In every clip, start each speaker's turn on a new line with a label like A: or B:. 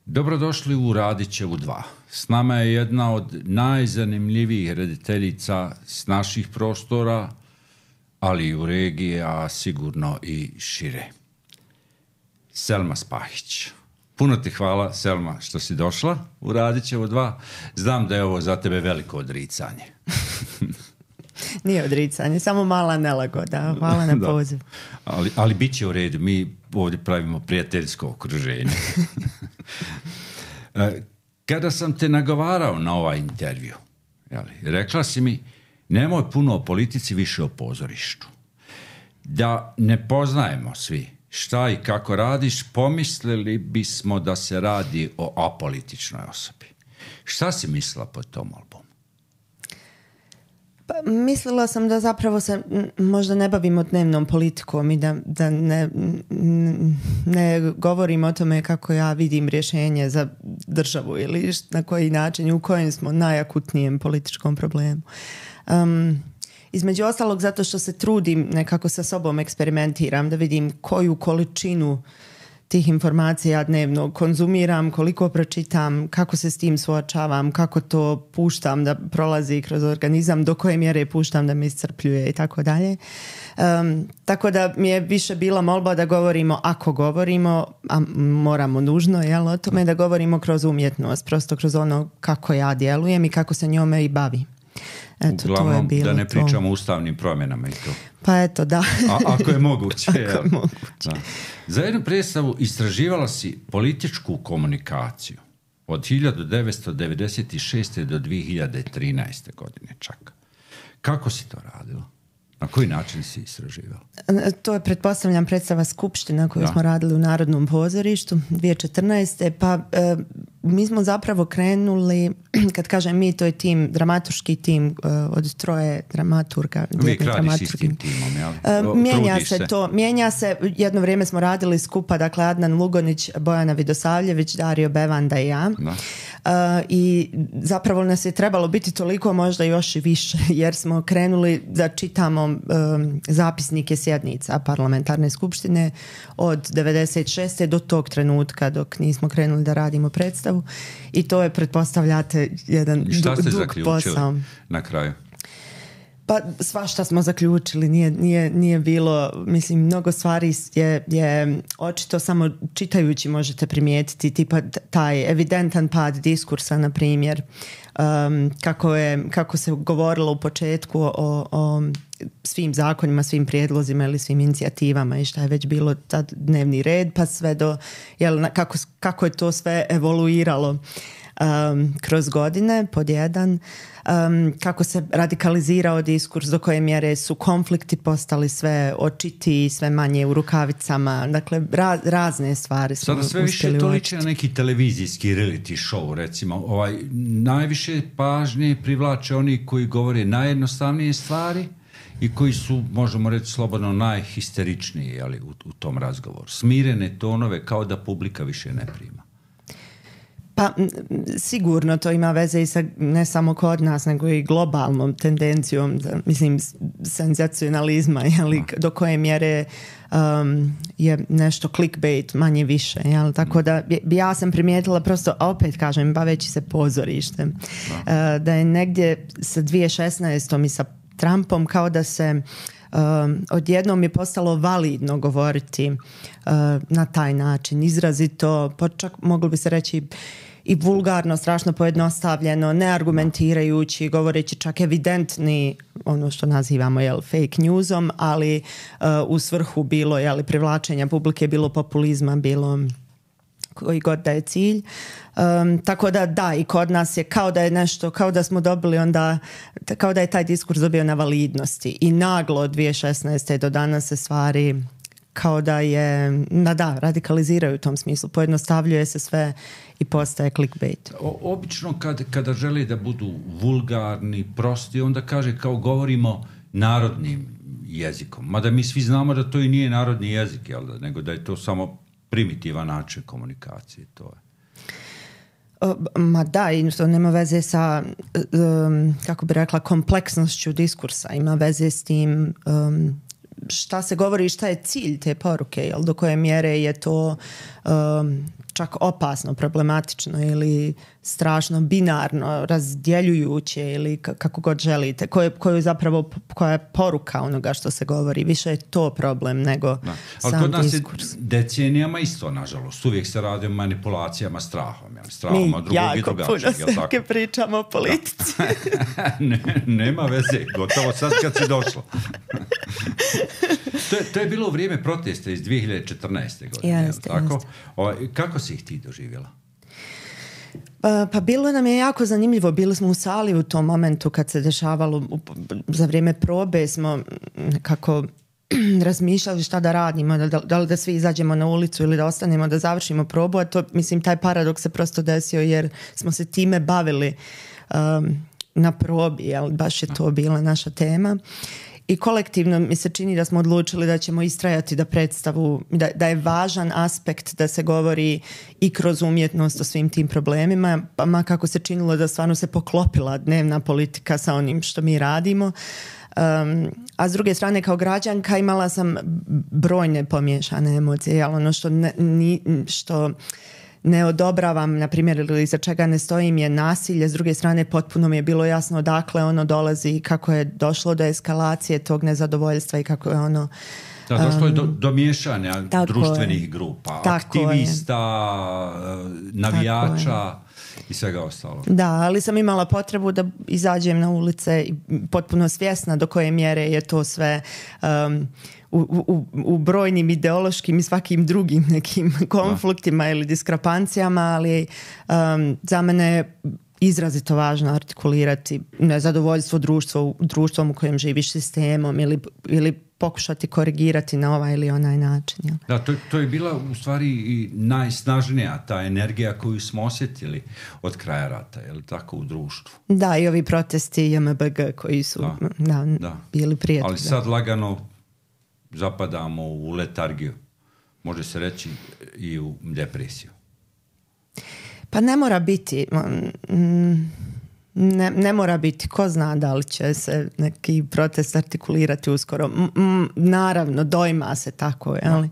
A: Dobrodošli u Radićevu 2. S nama je jedna od najzanimljivijih rediteljica s naših prostora, ali i u regiji, a sigurno i šire. Selma Spahić. Puno ti hvala, Selma, što si došla u Radićevu 2. Znam da je ovo za tebe veliko odricanje.
B: Nije odricanje, samo mala nelagoda. Hvala na poziv.
A: Ali bit će u redu, mi ovdje pravimo prijateljsko okruženje. Kada sam te nagovarao na ovaj intervju, rekla si mi, nemoj puno o politici, više o pozorištu. Da ne poznajemo svi šta i kako radiš, pomislili bismo da se radi o apolitičnoj osobi. Šta si mislila pod tom albumu?
B: Pa, mislila sam da zapravo se možda ne bavimo dnevnom politikom i da ne govorim o tome kako ja vidim rješenje za državu ili na koji način i u kojem smo najakutnijem političkom problemu. Između ostalog zato što se trudim, nekako sa sobom eksperimentiram da vidim koju količinu tih informacija dnevno konzumiram, koliko pročitam, kako se s tim suočavam, kako to puštam da prolazi kroz organizam, do koje mjere puštam da me iscrpljuje i tako dalje. Tako da mi je više bila molba da govorimo, ako govorimo, a moramo nužno, o tome da govorimo kroz umjetnost, prosto kroz ono kako ja djelujem i kako se njome i bavi. Eto,
A: uglavnom,
B: to je bilo
A: da ne pričamo
B: to.
A: o ustavnim promjenama i to.
B: Pa eto, da.
A: Ako je moguće.
B: Ako je moguće.
A: Da. Za jednu predstavu istraživala si političku komunikaciju od 1996. do 2013. godine čak. Kako si to radila? Na koji način si istraživala?
B: To je, pretpostavljam, predstava Skupština koju smo radili u Narodnom pozorištu 2014. Pa mi smo zapravo krenuli, kad kažem mi, to je tim, dramaturški tim od 3 dramaturga.
A: Uvijek radiš s tim timom, jel?
B: Mijenja se. Jedno vrijeme smo radili skupa, dakle Adnan Lugonić, Bojana Vidosavljević, Dario Bevanda i ja. I zapravo nas je trebalo biti toliko, možda još i više, jer smo krenuli da čitamo zapisnike sjednica parlamentarne skupštine od 96. do tog trenutka dok nismo krenuli da radimo predstavu i to je, pretpostavljate, jedan dug posao. Šta ste zaključili
A: na kraju?
B: Pa svašta smo zaključili, nije bilo, mislim, mnogo stvari je očito samo čitajući možete primijetiti, tipa taj evidentan pad diskursa, na primjer, kako se govorilo u početku o svim zakonima, svim prijedlozima ili svim inicijativama i šta je već bilo tad dnevni red, pa sve do, kako je to sve evoluiralo kroz godine, pod jedan, kako se radikalizirao diskurs, do koje mjere su konflikti postali sve očiti, sve manje u rukavicama, dakle razne stvari smo uspjeli.
A: Sada sve više to liči na neki televizijski reality show, recimo. Najviše pažnje privlače oni koji govore najjednostavnije stvari i koji su, možemo reći slobodno, najhisteričniji u tom razgovoru. Smirene tonove kao da publika više ne prima.
B: Pa sigurno to ima veze i sa ne samo kod nas, nego i globalnom tendencijom, mislim, senzacionalizma, do koje mjere je nešto clickbait manje više, tako da ja sam primijetila prosto, opet kažem, baveći se pozorištem, da je negdje sa 2016. i sa Trumpom kao da se odjednom je postalo validno govoriti na taj način, izrazito, čak moglo bi se reći i vulgarno, strašno pojednostavljeno, neargumentirajući, govoreći čak evidentni, ono što nazivamo fake newsom, ali u svrhu bilo privlačenja publike, bilo populizma, bilo koji god da je cilj. Tako da, i kod nas je kao da je nešto, kao da smo dobili onda, kao da je taj diskurs dobio na validnosti i naglo od 2016. do danas se stvari kao da je, radikaliziraju u tom smislu, pojednostavljuje se sve i postaje clickbait.
A: Obično kada želi da budu vulgarni, prosti, onda kaže kao govorimo narodnim jezikom, mada mi svi znamo da to i nije narodni jezik, nego da je to samo primitivan način komunikacije, to je.
B: Ma da, i to nema veze sa, kako bi rekla, kompleksnošću diskursa, ima veze s tim šta se govori i šta je cilj te poruke, do koje mjere je to čak opasno, problematično ili strašno binarno, razdjeljujuće ili kako god želite, koja je poruka onoga što se govori. Više je to problem nego sam diskurs.
A: Ali decenijama isto, nažalost. Uvijek se radi o manipulacijama strahom. Strahom od drugog i drugačijeg.
B: Mi jako puno pričamo o politici.
A: Nema veze, gotovo sad kad si došla. To je bilo u vrijeme protesta iz 2014. godine.
B: Jeste.
A: Kako si ih ti doživjela?
B: Pa bilo nam je jako zanimljivo. Bili smo u sali u tom momentu kad se dešavalo za vrijeme probe smo kako razmišljali šta da radimo, da li da svi izađemo na ulicu ili da ostanemo da završimo probu, a to, mislim, taj paradoks se prosto desio jer smo se time bavili na probi, jel? Baš je to bila naša tema. I kolektivno mi se čini da smo odlučili da ćemo istrajati da predstavu, da je važan aspekt da se govori i kroz umjetnost o svim tim problemima, pa ma kako se činilo da stvarno se poklopila dnevna politika sa onim što mi radimo. A s druge strane, kao građanka imala sam brojne pomiješane emocije, ali ono što ne odobravam, na primjer, ili za čega ne stojim je nasilje. S druge strane, potpuno mi je bilo jasno odakle ono dolazi i kako je došlo do eskalacije tog nezadovoljstva i kako je ono...
A: došlo je do miješanja društvenih grupa, aktivista, navijača i svega ostalo.
B: Da, ali sam imala potrebu da izađem na ulice i potpuno svjesna do koje mjere je to sve... U brojnim ideološkim i svakim drugim nekim konfliktima ili diskrepancijama, ali za mene je izrazito važno artikulirati nezadovoljstvo društvom u kojem živiš, sistemom ili pokušati korigirati na ovaj ili onaj način. Ja.
A: Da, to je bila u stvari i najsnažnija ta energija koju smo osjetili od kraja rata, je li tako, u društvu?
B: Da, i ovi protesti JMBG koji su bili prije.
A: Ali sad lagano zapadamo u letargiju, može se reći i u depresiju.
B: Pa ne mora biti, ne mora biti, ko zna da li će se neki protest artikulirati uskoro. Naravno, dojma se tako, jel?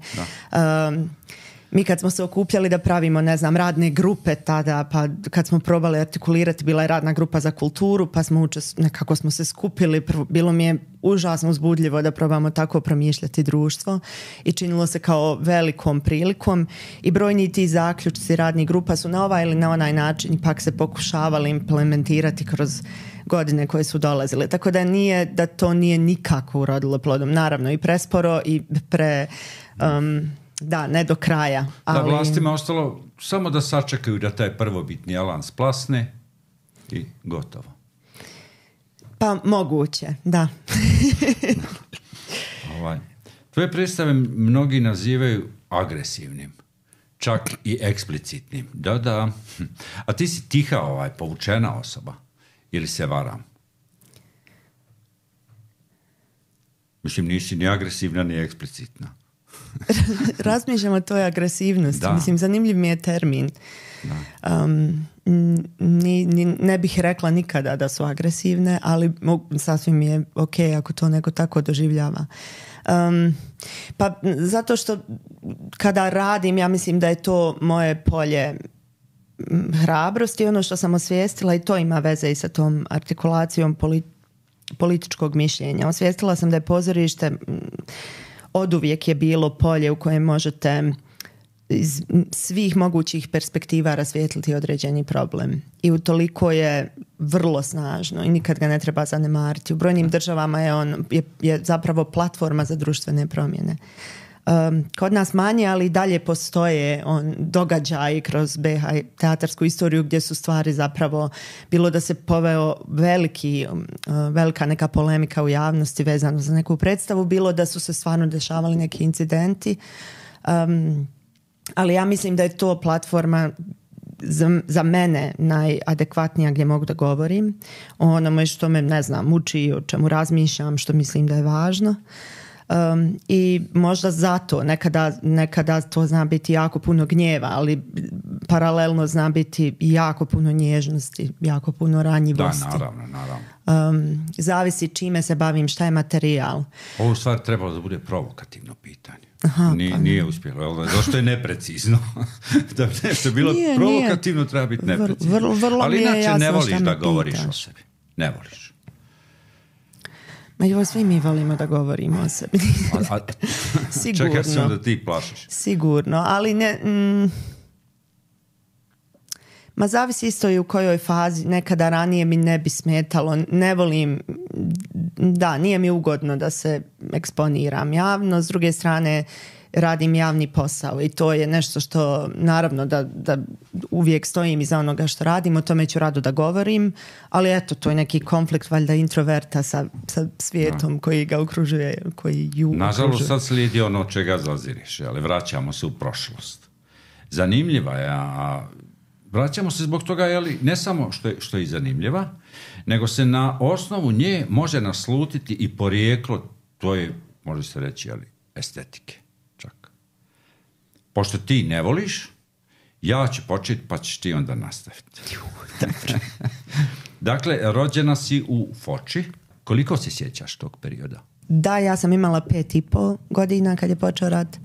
B: Mi kad smo se okupljali da pravimo, ne znam, radne grupe tada, pa kad smo probali artikulirati, bila je radna grupa za kulturu, pa nekako smo se skupili, bilo mi je užasno uzbudljivo da probamo tako promišljati društvo i činilo se kao velikom prilikom i brojni ti zaključci radnih grupa su na ovaj ili na onaj način ipak se pokušavali implementirati kroz godine koje su dolazile. Tako da to nije nikako urodilo plodom. Naravno i presporo i da, ne do kraja. Ali...
A: Da, vlastima ostalo samo da sačekaju da taj prvobitni alan splasne i gotovo.
B: Pa moguće, da.
A: Tvoje predstave mnogi nazivaju agresivnim, čak i eksplicitnim. Da. A ti si tiha, povučena osoba. Ili se varam? Mislim, nisi ni agresivna, ni eksplicitna.
B: Razmišljam o toj agresivnosti. Da. Mislim, zanimljiv mi je termin. Ne bih rekla nikada da su agresivne, ali sasvim je ok ako to neko tako doživljava. Pa zato što kada radim, ja mislim da je to moje polje hrabrosti, ono što sam osvijestila, i to ima veze i sa tom artikulacijom političkog mišljenja. Osvijestila sam da je pozorište oduvijek je bilo polje u kojem možete iz svih mogućih perspektiva rasvijetliti određeni problem. I utoliko je vrlo snažno i nikad ga ne treba zanemariti. U brojnim državama je zapravo platforma za društvene promjene. Kod nas manje, ali i dalje postoje događaji kroz BiH teatarsku istoriju gdje su stvari zapravo, bilo da se poveo velika neka polemika u javnosti vezano za neku predstavu, bilo da su se stvarno dešavali neki incidenti. Ali ja mislim da je to platforma za mene najadekvatnija gdje mogu da govorim o onome što me, ne znam, muči, o čemu razmišljam, što mislim da je važno. I možda zato nekada to zna biti jako puno gnjeva, ali paralelno zna biti jako puno nježnosti, jako puno ranjivosti.
A: Da, naravno.
B: Zavisi čime se bavim, šta je materijal.
A: Ovo stvar trebalo da bude provokativno pitanje. Nije uspjelo, jel? Zašto je neprecizno? Da bi nešto bilo provokativno, treba biti neprecizno. Ali inače ne voliš da govoriš o sebi. Ne voliš.
B: Ma joj, svi mi volimo da govorimo o sebi. Sigurno.
A: Čekaj sam da ti plašiš.
B: Sigurno, ali ne... Ma zavisi isto i u kojoj fazi. Nekada ranije mi ne bi smetalo. Ne volim... Da, nije mi ugodno da se eksponiram javno. S druge strane, radim javni posao i to je nešto što, naravno, da uvijek stojim iza onoga što radim, o tome ću rado da govorim, ali eto, to je neki konflikt valjda introverta sa svijetom koji ga okružuje, koji ju okružuje.
A: Nažalost, sad slijedi ono čega zaziriš, ali vraćamo se u prošlost. Zanimljiva je, a vraćamo se zbog toga, ne samo što je zanimljiva, nego se na osnovu nje može naslutiti i porijeklo, to je, može se reći, estetike. Čak. Pošto ti ne voliš, ja ću početi, pa ćeš ti onda nastaviti. Dakle, rođena si u Foči. Koliko se sjećaš tog perioda?
B: Da, ja sam imala 5,5 godina kad je počeo rat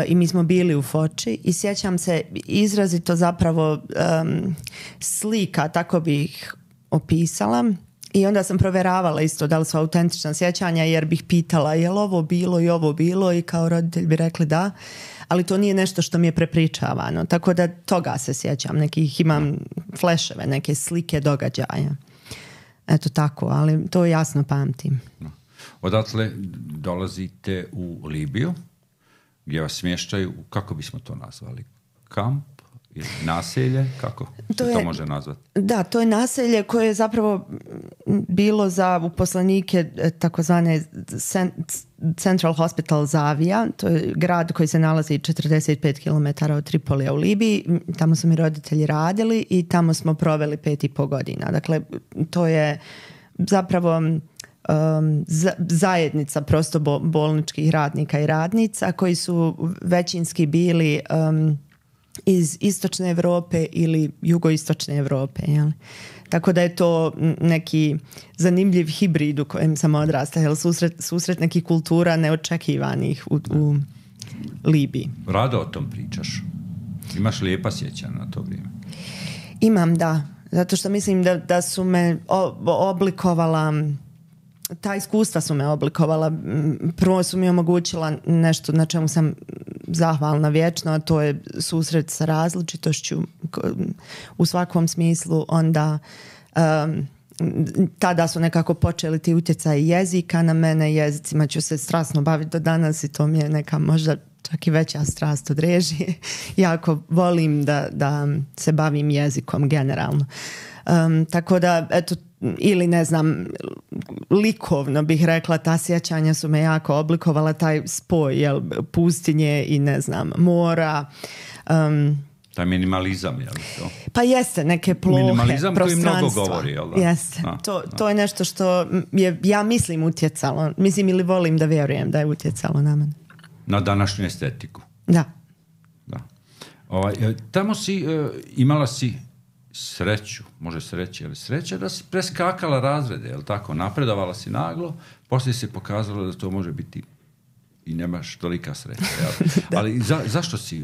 B: i mi smo bili u Foči i sjećam se izrazito zapravo slika, tako bih opisala. I onda sam provjeravala isto da li su autentična sjećanja, jer bih pitala je li ovo bilo i ovo bilo, i kao roditelj bi rekli da, ali to nije nešto što mi je prepričavano, tako da toga se sjećam, nekih imam fleševe, neke slike događaja, eto tako, ali to jasno pamtim.
A: Odatle dolazite u Libiju, gdje vas smještaju, kako bismo to nazvali, kamp? Naselje, kako se to može nazvati? Da,
B: to je naselje koje je zapravo bilo za uposlenike takozvane Central Hospital Zavija. To je grad koji se nalazi 45 km od Tripolija u Libiji. Tamo su mi roditelji radili i tamo smo proveli 5,5 godina. Dakle, to je zapravo zajednica prosto bolničkih radnika i radnica koji su većinski bili iz istočne Europe ili jugoistočne Europe. Jel? Tako da je to neki zanimljiv hibrid u kojem sam odrasta. Jel? Susret nekih kultura neočekivanih u Libiji.
A: Rado o tom pričaš. Imaš lijepa sjećanja na to vrijeme?
B: Imam, da. Zato što mislim da su me oblikovala... Ta iskustva su me oblikovala. Prvo su mi omogućila nešto na čemu sam zahvalna vječno, a to je susret sa različitošću u svakom smislu. Onda tada su nekako počeli ti utjecaji jezika na mene. Jezicima ću se strasno baviti do danas i to mi je neka možda čak i veća strast od režije. Jako volim da se bavim jezikom generalno. Tako da, eto, ili ne znam, likovno bih rekla, ta sjećanja su me jako oblikovala, taj spoj pustinje i ne znam, mora.
A: Taj minimalizam, je li to?
B: Pa jeste, neke plohe,
A: minimalizam
B: prostranstva.
A: Koji mnogo govori, jel da?
B: Jeste, to je nešto što je, ja mislim, utjecalo. Mislim ili volim da vjerujem da je utjecalo na mene.
A: Na današnju estetiku.
B: Da.
A: Tamo si, imala si sreću, može se reći, ali sreća da si preskakala razrede, je li tako? Napredovala si naglo, poslije se pokazalo da to može biti i nemaš tolika sreća. Ali zašto si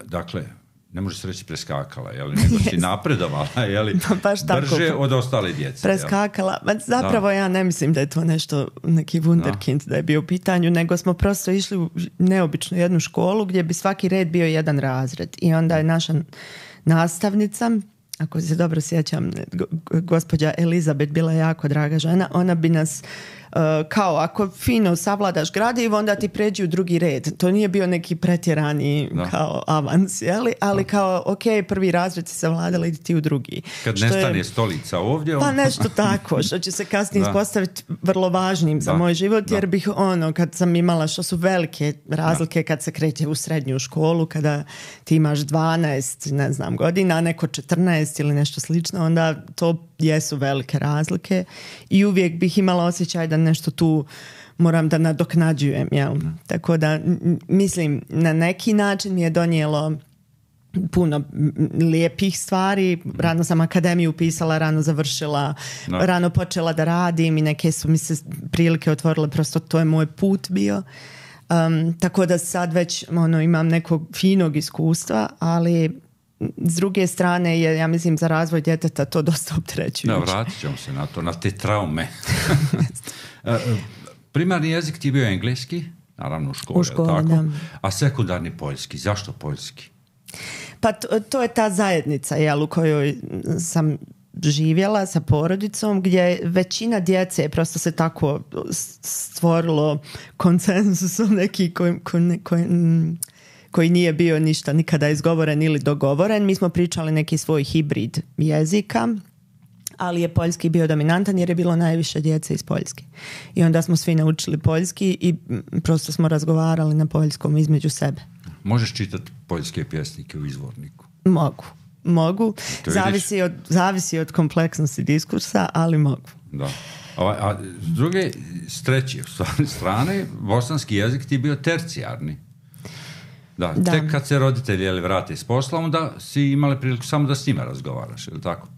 A: dakle, ne može se reći preskakala, nego si napredovala, brže od ostale djece.
B: Preskakala. Zapravo ja ne mislim da je to nešto, neki wunderkind da je bio u pitanju, nego smo prosto išli u neobičnu jednu školu gdje bi svaki red bio jedan razred. I onda je naša nastavnica, ako se dobro sjećam, gospođa Elizabeth, bila jako draga žena, ona bi nas kao ako fino savladaš gradivo, onda ti pređi u drugi red. To nije bio neki pretjerani kao avans, ali kao ok, prvi razred si savladala, idi ti u drugi.
A: Kad nestane stolica ovdje...
B: Pa nešto tako, što će se kasnije ispostaviti vrlo važnim za moj život, jer bih kad sam imala, što su velike razlike kad se kreće u srednju školu, kada ti imaš 12, ne znam, godina, a neko 14 ili nešto slično, onda to jesu velike razlike i uvijek bih imala osjećaj da nešto tu moram da nadoknađujem, jel? Tako da mislim, na neki način mi je donijelo puno lijepih stvari. Rano sam akademiju upisala, rano završila, rano počela da radim i neke su mi se prilike otvorile, prosto to je moj put bio. Tako da sad već imam nekog finog iskustva, ali s druge strane je, ja mislim, za razvoj djeteta to dosta opterećujuće.
A: Da, vratit ćemo se na to, na te traume. Primarni jezik ti je bio engleski, naravno u školi, tako? Da. A sekundarni poljski. Zašto poljski?
B: Pa to je ta zajednica, u kojoj sam živjela sa porodicom, gdje većina djece prosto se tako stvorilo konsenzusom neki koji nije bio ništa nikada izgovoren ili dogovoren. Mi smo pričali neki svoj hibrid jezika, ali je poljski bio dominantan jer je bilo najviše djece iz Poljske. I onda smo svi naučili poljski i prosto smo razgovarali na poljskom između sebe.
A: Možeš čitati poljske pjesnike u izvorniku?
B: Mogu. Zavisi od kompleksnosti diskursa, ali mogu.
A: Da. A s treće strane, bosanski jezik ti je bio tercijarni. Da. Tek kad se roditelji vrate s posla, onda si imali priliku samo da s njima razgovaraš, ili tako?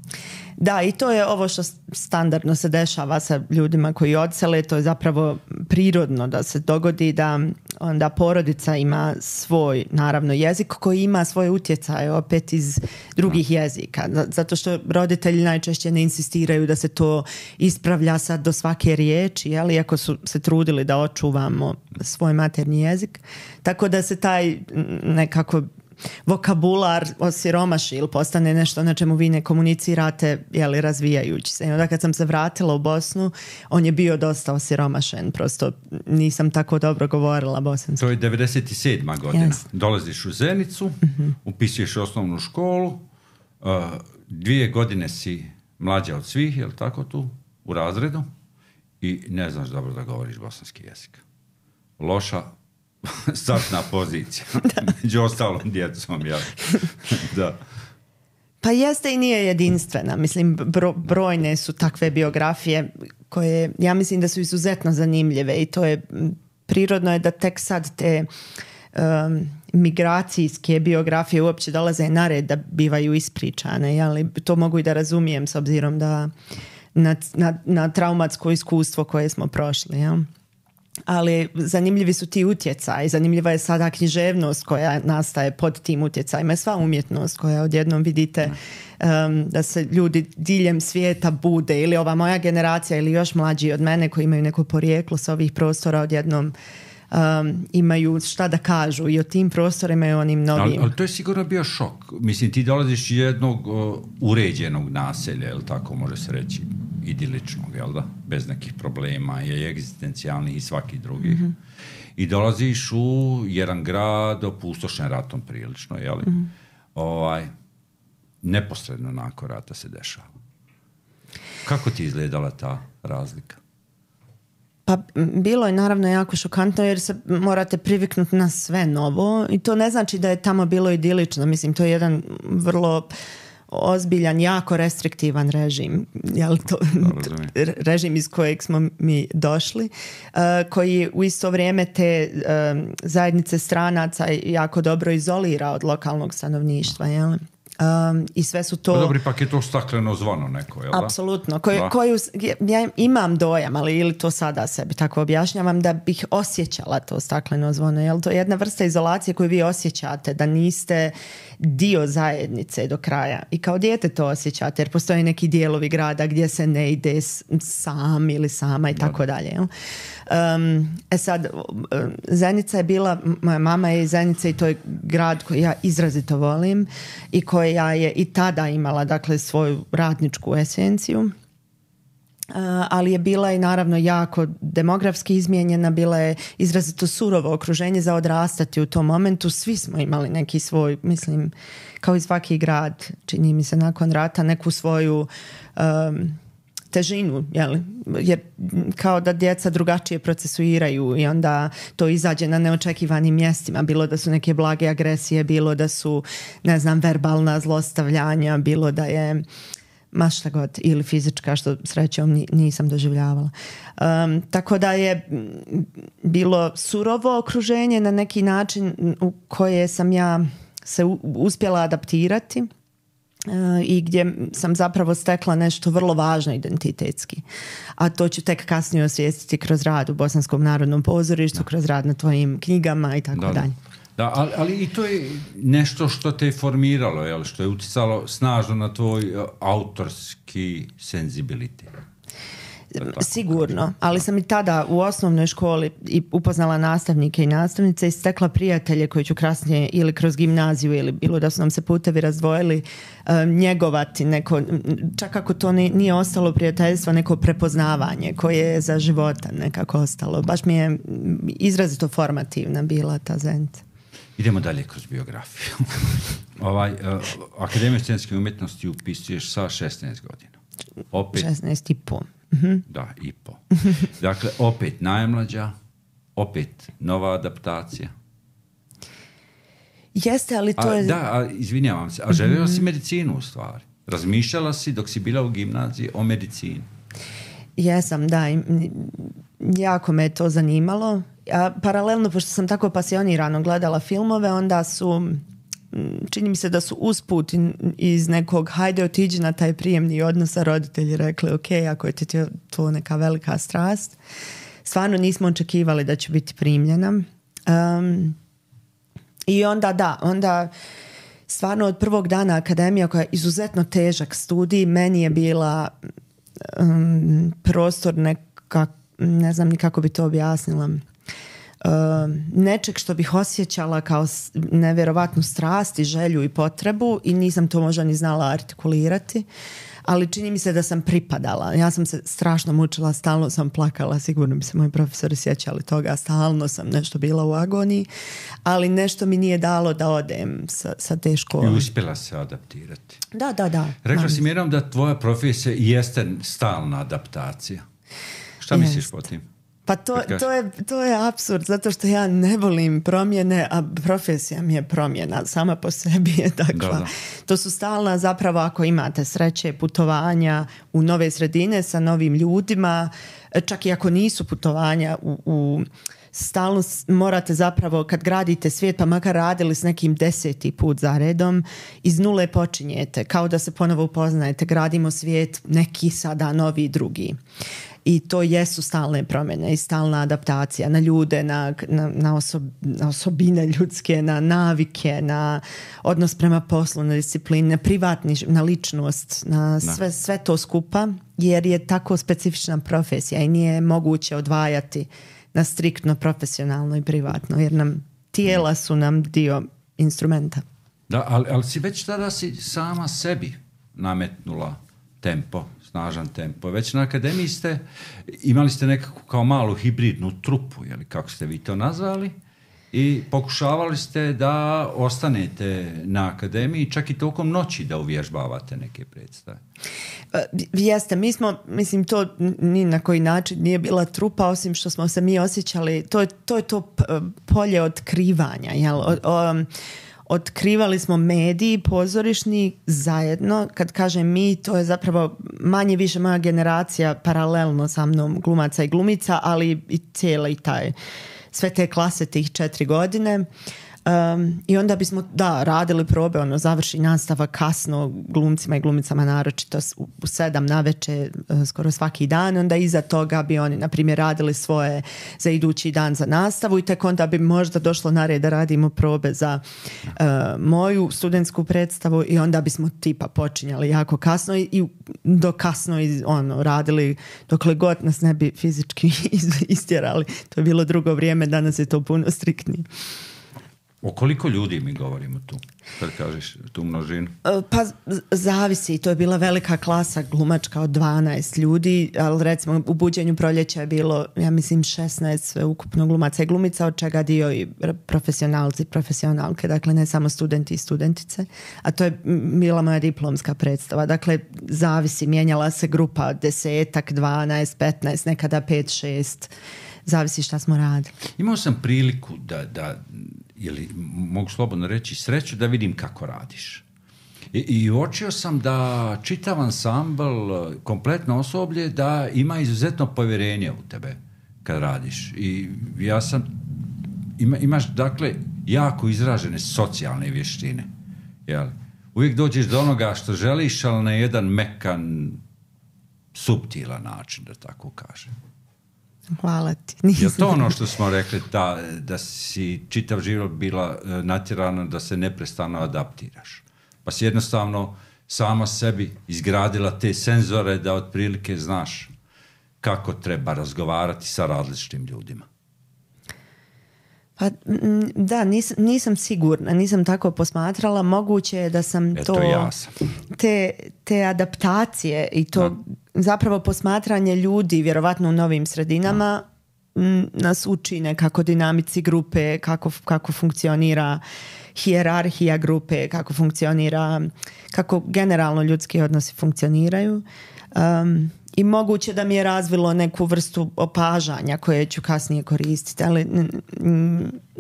B: Da, i to je ovo što standardno se dešava sa ljudima koji odsele, to je zapravo prirodno da se dogodi da onda porodica ima svoj, naravno, jezik koji ima svoje utjecaje opet iz drugih jezika. Zato što roditelji najčešće ne insistiraju da se to ispravlja sad do svake riječi, iako su se trudili da očuvamo svoj maternji jezik. Tako da se taj nekako vokabular osiromaši ili postane nešto na čemu vi ne komunicirate, razvijajući se. I onda kad sam se vratila u Bosnu, on je bio dosta osiromašen, prosto nisam tako dobro govorila bosanski.
A: To je 97. godina. Yes. Dolaziš u Zenicu, upisuješ osnovnu školu, 2 godine si mlađa od svih, je li tako tu, u razredu, i ne znaš dobro da govoriš bosanski jezik. Loša startna pozicija. Među ostalom djecom, ja. Da.
B: Pa jeste i nije jedinstvena. Mislim, brojne su takve biografije koje, ja mislim da su izuzetno zanimljive i to je, prirodno je da tek sad te migracijske biografije uopće dolaze na red da bivaju ispričane, ali to mogu i da razumijem s obzirom da na traumatsko iskustvo koje smo prošli, jel? Ali zanimljivi su ti utjecaji, zanimljiva je sada književnost koja nastaje pod tim utjecajima, sva umjetnost koja odjednom vidite da se ljudi diljem svijeta bude, ili ova moja generacija ili još mlađi od mene koji imaju neko porijeklo sa ovih prostora odjednom imaju šta da kažu i o tim prostorima i onim novim.
A: Ali to je sigurno bio šok. Mislim, ti dolaziš iz jednog uređenog naselja, jel tako može se reći, idiličnog, jel da? Bez nekih problema, je egzistencijalnih i svaki drugih. Mm-hmm. I dolaziš u jedan grad opustošen ratom prilično, jel? Mm-hmm. Neposredno nakon rata se dešava. Kako ti izgledala ta razlika?
B: Pa bilo je naravno jako šokantno jer se morate priviknuti na sve novo i to ne znači da je tamo bilo idilično. Mislim, to je jedan vrlo ozbiljan, jako restriktivan režim. Režim iz kojeg smo mi došli, koji u isto vrijeme te zajednice stranaca jako dobro izolira od lokalnog stanovništva, jel? I sve su to...
A: Dobro, ipak je to stakleno zvono neko, jel da?
B: Apsolutno. Ja imam dojam, ali ili to sada sebi tako objašnjavam, da bih osjećala to stakleno zvono. Jel to je jedna vrsta izolacije koju vi osjećate, da niste dio zajednice do kraja. I kao dijete to osjećate, jer postoje neki dijelovi grada gdje se ne ide sam ili sama i tako dalje. Jel? Sad, Zenica je bila, moja mama je iz Zenice i to je grad koji ja izrazito volim i koja je i tada imala, dakle, svoju radničku esenciju, ali je bila i naravno jako demografski izmijenjena, bila je izrazito surovo okruženje za odrastati u tom momentu. Svi smo imali neki svoj, mislim, kao i svaki grad, čini mi se nakon rata, neku svoju težinu, jer kao da djeca drugačije procesuiraju i onda to izađe na neočekivanim mjestima, bilo da su neke blage agresije, bilo da su, ne znam, verbalna zlostavljanja, bilo da je ma šta god, ili fizička, što srećom nisam doživljavala. Tako da je bilo surovo okruženje na neki način u koje sam ja se uspjela adaptirati. i gdje sam zapravo stekla nešto vrlo važno identitetski. A to ću tek kasnije osvijestiti kroz rad u Bosanskom narodnom pozorištu, kroz rad na tvojim knjigama i tako dalje.
A: Da, ali i to je nešto što te je formiralo, jel? Što je uticalo snažno na tvoj autorski senzibilitet.
B: Sigurno, ali sam i tada u osnovnoj školi i upoznala nastavnike i nastavnice i stekla prijatelje koji ću kasnije ili kroz gimnaziju ili bilo da su nam se putevi razdvojili njegovati neko, čak ako to nije ostalo prijateljstvo, neko prepoznavanje koje je za života nekako ostalo. Baš mi je izrazito formativna bila ta zajednica.
A: Idemo dalje kroz biografiju. Akademiju scenske umjetnosti upisuješ sa 16 godina. Opet
B: 16 i po.
A: Da, i po. Dakle, opet najmlađa, opet nova adaptacija.
B: Jeste, ali to je...
A: Da, izvinjavam se, a željela si medicinu u stvari. Razmišljala si dok si bila u gimnaziji o medicini.
B: Jesam, da. Jako me je to zanimalo. A paralelno, pošto sam tako pasionirano gledala filmove, onda su... čini mi se da su usput iz nekog hajde otiđi na taj prijemni odnos sa roditelji rekli ok, ako je ti to neka velika strast. Stvarno nismo očekivali da će biti primljena. I onda stvarno od prvog dana akademija koja je izuzetno težak studij, meni je bila prostor ne znam ni kako bi to objasnila, nečeg što bih osjećala kao nevjerovatnu strast i želju i potrebu i nisam to možda ni znala artikulirati, ali čini mi se da sam pripadala. Ja sam se strašno mučila, stalno sam plakala, sigurno bi se moji profesori sjećali toga, stalno sam nešto bila u agoniji, ali nešto mi nije dalo da odem sa te škole.
A: I uspjela se adaptirati.
B: Da.
A: Rekla si Mirom da tvoja profesija jeste stalna adaptacija. Šta misliš po tim?
B: Pa to je apsurd, zato što ja ne volim promjene, a profesija mi je promjena, sama po sebi je takva. Da. To su stalna, zapravo ako imate sreće, putovanja u nove sredine sa novim ljudima, čak i ako nisu putovanja stalno morate zapravo, kad gradite svijet, pa makar radili s nekim 10. put za redom, iz nule počinjete, kao da se ponovo upoznajete, gradimo svijet, neki sada novi, drugi. I to jesu stalne promjene i stalna adaptacija na ljude, na osobine ljudske, na navike, na odnos prema poslu, na disciplinu, na privatni, na ličnost, na sve to skupa, jer je tako specifična profesija i nije moguće odvajati na striktno profesionalno i privatno, jer nam tijela su nam dio instrumenta.
A: Da, ali si već tada si sama sebi nametnula tempo, snažan tempo. Već na akademiji imali ste nekako kao malu hibridnu trupu, jeli, kako ste vi to nazvali, i pokušavali ste da ostanete na akademiji čak i tokom noći da uvježbavate neke predstave.
B: Jeste, mi smo, mislim, to ni na koji način nije bila trupa, osim što smo se mi osjećali, to je to polje otkrivanja, jel? Otkrivali smo mediji pozorišni zajedno. Kad kažem mi, to je zapravo manje više moja generacija paralelno sa mnom glumaca i glumica, ali i cijeli sve te klase tih 4 godine. I onda bismo radili probe, završi nastava kasno glumcima i glumicama, naročito u 7 navečer skoro svaki dan. Onda iza toga bi oni, na primjer, radili svoje za idući dan za nastavu i tek onda bi možda došlo na red da radimo probe za moju studentsku predstavu i onda bismo tipa počinjali jako kasno i do kasno radili dokle god nas ne bi fizički istjerali. To je bilo drugo vrijeme, danas je to puno striktnije.
A: O koliko ljudi mi govorimo tu, kad kažeš tu množinu?
B: Pa zavisi, to je bila velika klasa glumačka od 12 ljudi, ali recimo u Buđenju proljeća je bilo, ja mislim, 16 ukupno glumaca i glumica, od čega dio i profesionalci, profesionalke, dakle ne samo studenti i studentice, a to je bila moja diplomska predstava. Dakle, zavisi, mijenjala se grupa 10, 12, 15, nekada 5, 6, zavisi šta smo radili. Imao
A: sam priliku da ili mogu slobodno reći sreću da vidim kako radiš. I uočio sam da čitav ansambl, kompletno osoblje, da ima izuzetno povjerenje u tebe kad radiš. I ja imaš dakle jako izražene socijalne vještine. Jel? uvijek dođeš do onoga što želiš, ali na jedan mekan, suptilan način, da tako kažem.
B: Hvala ti.
A: Je to ono što smo rekli, da si čitav život bila natjerana da se neprestano adaptiraš? Pa si jednostavno sama sebi izgradila te senzore da otprilike znaš kako treba razgovarati sa različitim ljudima.
B: Pa da, nisam sigurna, nisam tako posmatrala. Moguće je da sam
A: ja sam.
B: Te adaptacije i to zapravo posmatranje ljudi vjerovatno u novim sredinama nas uči nekako dinamici grupe, kako funkcionira hijerarhija grupe, kako generalno ljudski odnosi funkcioniraju. I moguće da mi je razvilo neku vrstu opažanja koje ću kasnije koristiti, ali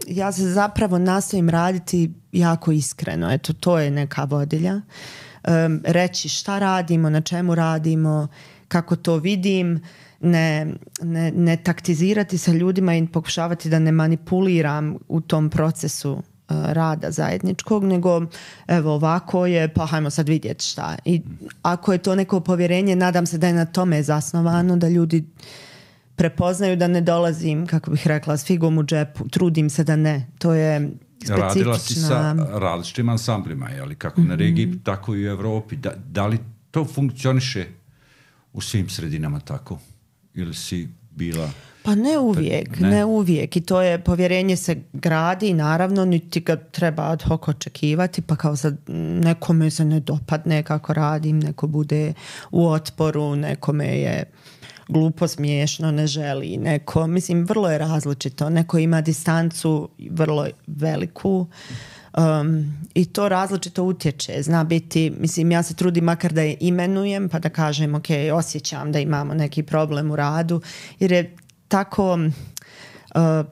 B: ja se zapravo nastojim raditi jako iskreno. Eto, to je neka vodilja. Reći šta radimo, na čemu radimo, kako to vidim, ne taktizirati sa ljudima i pokušavati da ne manipuliram u tom procesu rada zajedničkog, nego evo ovako je, pa hajmo sad vidjeti šta. I ako je to neko povjerenje, nadam se da je na tome zasnovano, da ljudi prepoznaju da ne dolazim, kako bih rekla, s figom u džepu, trudim se da ne. To je specifična...
A: Radila si sa različitim ansamblima, jeli? Kako na regiji, tako i u Evropi. Da li to funkcioniše u svim sredinama tako? Ili si bila...
B: Pa ne uvijek. I to je, povjerenje se gradi, naravno, niti ga treba ad hoc očekivati, pa kao sad nekome se ne dopadne kako radim, neko bude u otporu, nekome je glupo, smiješno, ne želi, neko, mislim, vrlo je različito. Neko ima distancu vrlo veliku, i to različito utječe. Zna biti, mislim, ja se trudim makar da je imenujem, pa da kažem, ok, osjećam da imamo neki problem u radu, jer je tako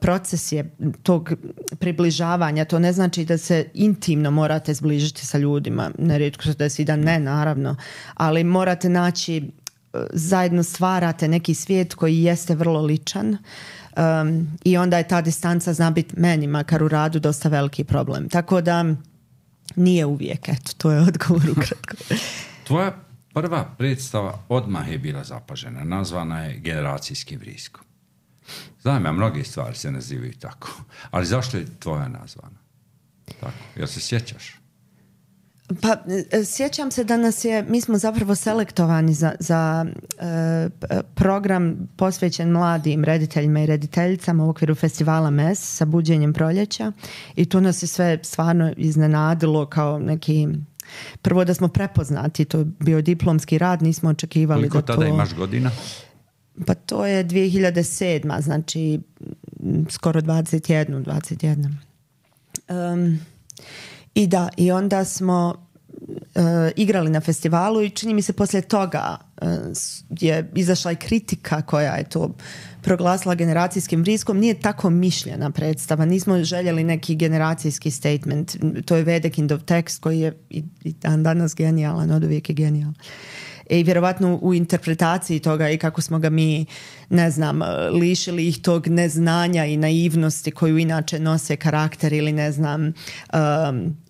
B: proces je tog približavanja. To ne znači da se intimno morate zbližiti sa ljudima. Nerijetko se desi da ne, naravno. Ali morate naći, zajedno stvarate neki svijet koji jeste vrlo ličan. I onda je ta distanca, zna biti meni, makar u radu, dosta veliki problem. Tako da nije uvijek. Eto, to je odgovor ukratko.
A: Tvoja prva predstava odmah je bila zapažena. Nazvana je Generacijski vrisko. Znam ja, mnoge stvari se nazivaju tako. Ali zašto je tvoja nazvana? Tako. Jel se sjećaš?
B: Pa sjećam se da mi smo zapravo selektovani za program posvećen mladim rediteljima i rediteljicama u okviru festivala MES sa buđenjem proljeća, i to nas je sve stvarno iznenadilo kao neki... Prvo da smo prepoznati, to je bio diplomski rad, nismo očekivali
A: koliko
B: da to...
A: Koliko tada imaš godina?
B: Pa to je 2007. Znači skoro 21. I onda smo igrali na festivalu i čini mi se poslije toga je izašla i kritika koja je to proglasila generacijskim vriskom. Nije tako mišljena predstava, nismo željeli neki generacijski statement. To je Vedekindov tekst koji je i dan danas genijalan, od uvijek je genijalan. I vjerovatno u interpretaciji toga i kako smo ga mi, ne znam, lišili ih tog neznanja i naivnosti koju inače nose karakter, ili ne znam,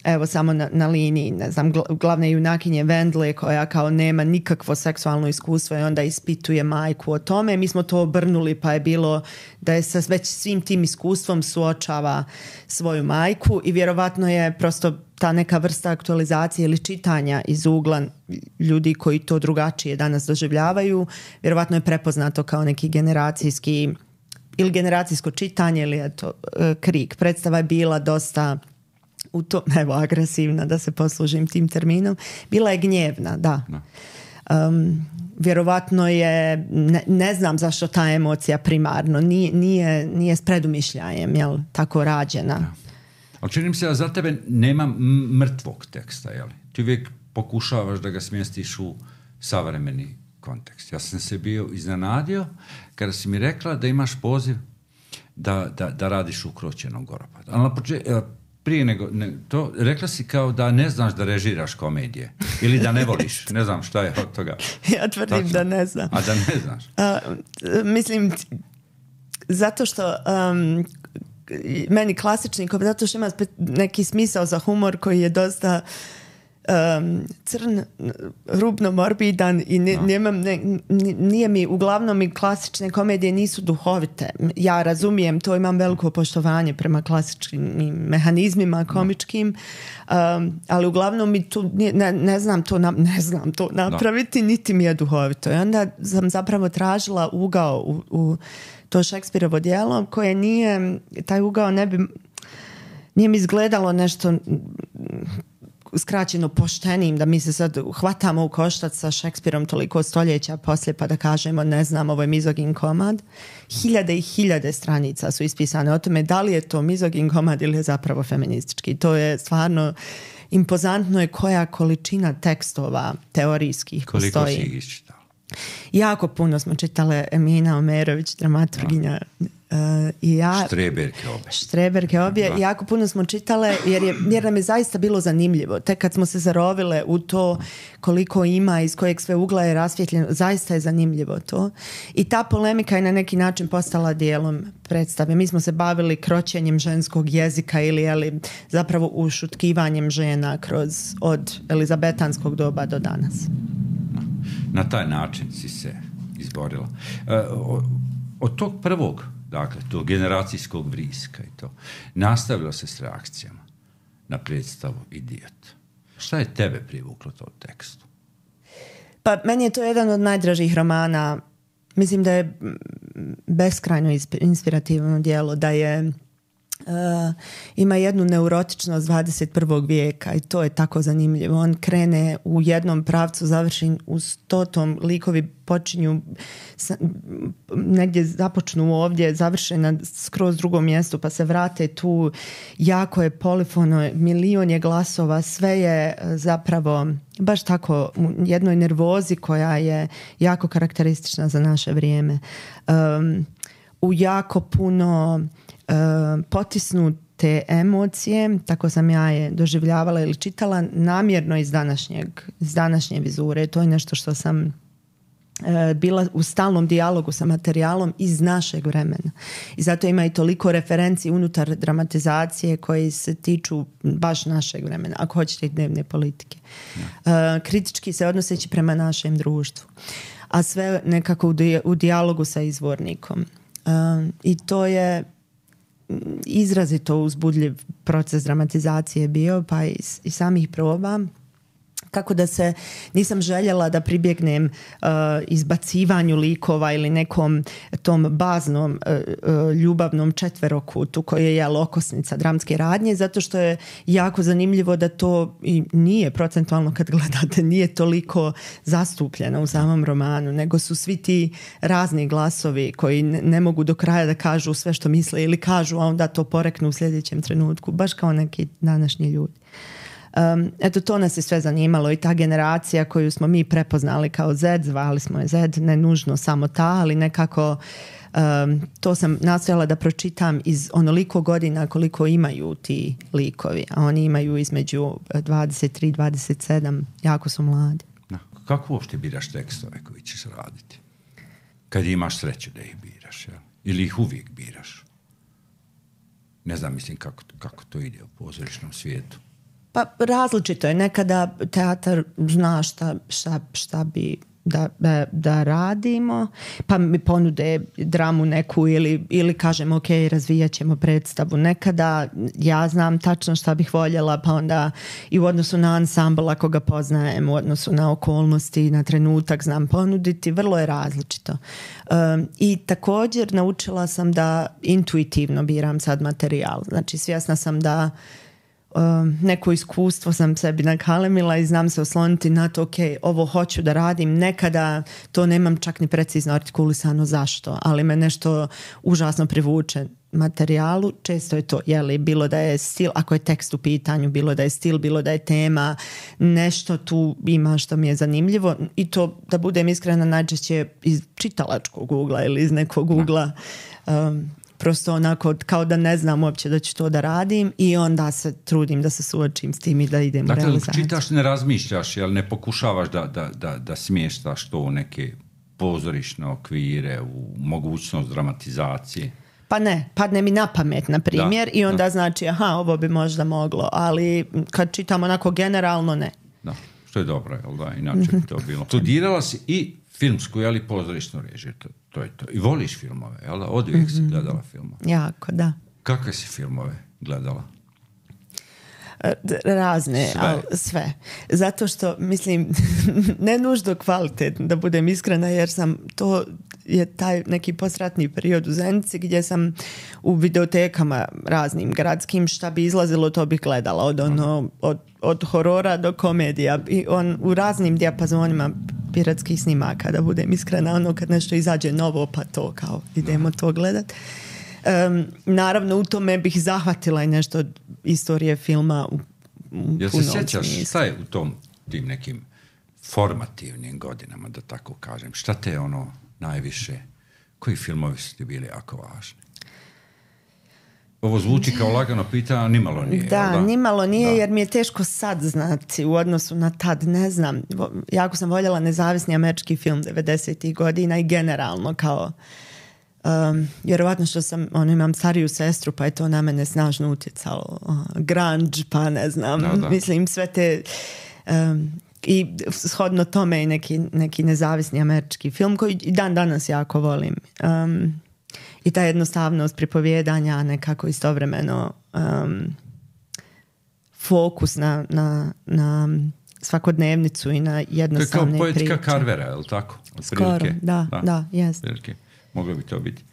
B: evo samo na liniji, ne znam, glavne junakinje Vendle koja kao nema nikakvo seksualno iskustvo i onda ispituje majku o tome. Mi smo to obrnuli, pa je bilo da je sa već svim tim iskustvom suočava svoju majku, i vjerovatno je prosto ta neka vrsta aktualizacije ili čitanja iz ugla ljudi koji to drugačije danas doživljavaju, vjerovatno je prepoznato kao neki generacijski ili generacijsko čitanje, ili eto, krik. Predstava je bila dosta agresivna, da se poslužim tim terminom. Bila je gnjevna, da. Vjerovatno je, ne znam zašto ta emocija primarno nije s predumišljajem, jel, tako rađena.
A: Da. Ali čini mi se da za tebe nema mrtvog teksta, jel? Ti uvijek pokušavaš da ga smjestiš u savremeni kontekst. Ja sam se bio iznenadio kada si mi rekla da imaš poziv da radiš u Kroćenom Goropadu. Ali prije nego to, rekla si kao da ne znaš da režiraš komedije ili da ne voliš. Ne znam šta je od toga.
B: Ja tvrdim tačno da ne znam.
A: A da ne znaš?
B: Mislim, zato što... meni klasični, zato što ima neki smisao za humor koji je dosta crn, rubno morbidan i nije mi, uglavnom mi klasične komedije nisu duhovite. Ja razumijem to, imam veliko poštovanje prema klasičnim mehanizmima komičkim, ali uglavnom mi tu ne znam to napraviti, niti mi je duhovito. I onda sam zapravo tražila ugao u to Šekspirovo djelo koje nije, taj ugao nije mi izgledalo nešto skraćeno poštenim, da mi se sad hvatamo u koštac sa Šekspirom toliko stoljeća poslije pa da kažemo ne znam, ovo je mizogin komad. Hiljade i hiljade stranica su ispisane o tome da li je to mizogin komad ili je zapravo feministički. To je stvarno impozantno je koja količina tekstova teorijskih postoji.
A: Koliko si ih iščitala?
B: Jako puno smo čitale. Emina Omerović, dramaturginja, i ja. Štreberke obje. Jako puno smo čitale jer nam je zaista bilo zanimljivo. Tek kad smo se zarovile u to koliko ima, iz kojeg sve ugla je rasvjetljeno, zaista je zanimljivo to. I ta polemika je na neki način postala dijelom predstave. Mi smo se bavili kroćenjem ženskog jezika ili zapravo ušutkivanjem žena od elizabetanskog doba do danas.
A: Na taj način si se izborila. Od tog prvog, dakle, tog generacijskog vriska i to, nastavilo se s reakcijama na predstavu Idiot. Šta je tebe privuklo to tekstu?
B: Pa meni je to jedan od najdražih romana. Mislim da je beskrajno inspirativno djelo, da je ima jednu neurotičnost 21. vijeka i to je tako zanimljivo. On krene u jednom pravcu, završi u 100. likovi počinju negdje započnu ovdje, završe na skroz drugom mjestu pa se vrate tu, jako je polifono, milion je glasova, sve je zapravo baš tako u jednoj nervozi koja je jako karakteristična za naše vrijeme. U jako puno potisnute emocije, tako sam ja je doživljavala ili čitala, namjerno iz današnje vizure. To je nešto što sam bila u stalnom dijalogu sa materijalom iz našeg vremena. I zato ima i toliko referenci unutar dramatizacije koji se tiču baš našeg vremena, ako hoćete i dnevne politike. Kritički se odnoseći prema našem društvu. A sve nekako u dijalogu sa izvornikom. I to je izrazito uzbudljiv proces dramatizacije bio, pa i samih proba. Kako da se nisam željela da pribjegnem izbacivanju likova ili nekom tom baznom ljubavnom četverokutu koji je okosnica dramske radnje, zato što je jako zanimljivo da to i nije procentualno kad gledate, nije toliko zastupljeno u samom romanu, nego su svi ti razni glasovi koji ne mogu do kraja da kažu sve što misle ili kažu, a onda to poreknu u sljedećem trenutku, baš kao neki današnji ljudi. Eto, to nas je sve zanimalo i ta generacija koju smo mi prepoznali kao Z, zvali smo je Z, ne nužno samo ta, ali nekako to sam nastojala da pročitam iz onoliko godina koliko imaju ti likovi, a oni imaju između 23 i 27, jako su mladi.
A: Kako uopšte biraš tekstove koji ćeš raditi? Kad imaš sreću da ih biraš, jel? Ili ih uvijek biraš? Ne znam, mislim kako to ide u pozorišnom svijetu.
B: Pa različito je. Nekada teatar zna šta bi da radimo, pa mi ponude dramu neku ili kažemo ok, razvijat ćemo predstavu. Nekada ja znam tačno šta bih voljela, pa onda i u odnosu na ansambl ako ga poznajem, u odnosu na okolnosti, na trenutak znam ponuditi, vrlo je različito. I također naučila sam da intuitivno biram sad materijal. Znači svjesna sam da neko iskustvo sam sebi nakalemila i znam se osloniti na to, ok, ovo hoću da radim, nekada to nemam čak ni precizno artikulisano zašto, ali me nešto užasno privuče materijalu, često je to, bilo da je stil, ako je tekst u pitanju, bilo da je stil, bilo da je tema, nešto tu ima što mi je zanimljivo i to, da budem iskrena, najčešće iz čitalačkog ugla ili iz nekog ugla, prosto onako kao da ne znam uopće da ću to da radim i onda se trudim da se suočim s tim i da idem u realizaciju.
A: Dakle, čitaš, ne razmišljaš, jel ne pokušavaš da smještaš to u neke pozorišne okvire, u mogućnost dramatizacije?
B: Pa ne, padne mi na pamet, na primjer, i onda znači, ovo bi možda moglo, ali kad čitam onako generalno, ne.
A: Da. Što je dobro, jel da? Inače bi to bilo. Studirala si i filmsku, jel, i pozorišnu režiju. To je to. I voliš filmove, jel da? Od uvijek si gledala filmove.
B: Jako, da.
A: Kakve si filmove gledala?
B: Razne, sve. Zato što, mislim, ne nužno kvalitetno, da budem iskrena, jer to je taj neki postratni period u Zenici gdje sam u videotekama raznim gradskim, šta bi izlazilo, to bih gledala. Od horora do komedija. I u raznim dijapazonima piratskih snimaka, da budem iskrena, kad nešto izađe novo, pa to kao idemo to gledat. Naravno, u tome bih zahvatila i nešto od istorije filma u
A: jel se sjećaš šta je u tim nekim formativnim godinama, da tako kažem? Šta te najviše, koji filmovi su ti bili jako važni? Ovo zvuči kao lagano pitanje, nimalo nije.
B: Da, nimalo nije, jer mi je teško sad znati u odnosu na tad, ne znam. Jako sam voljela nezavisni američki film 90-ih godina i generalno kao vjerovatno što imam stariju sestru, pa je to na mene snažno utjecalo. Grunge, pa ne znam, mislim sve te i shodno tome i neki nezavisni američki film koji i dan danas jako volim. I ta jednostavnost pripovjedanja, nekako istovremeno fokus na svakodnevnicu i na jednostavne priče.
A: To je kao poetika Carvera, je li tako?
B: Skoro, da, jest.
A: Moglo bi to biti.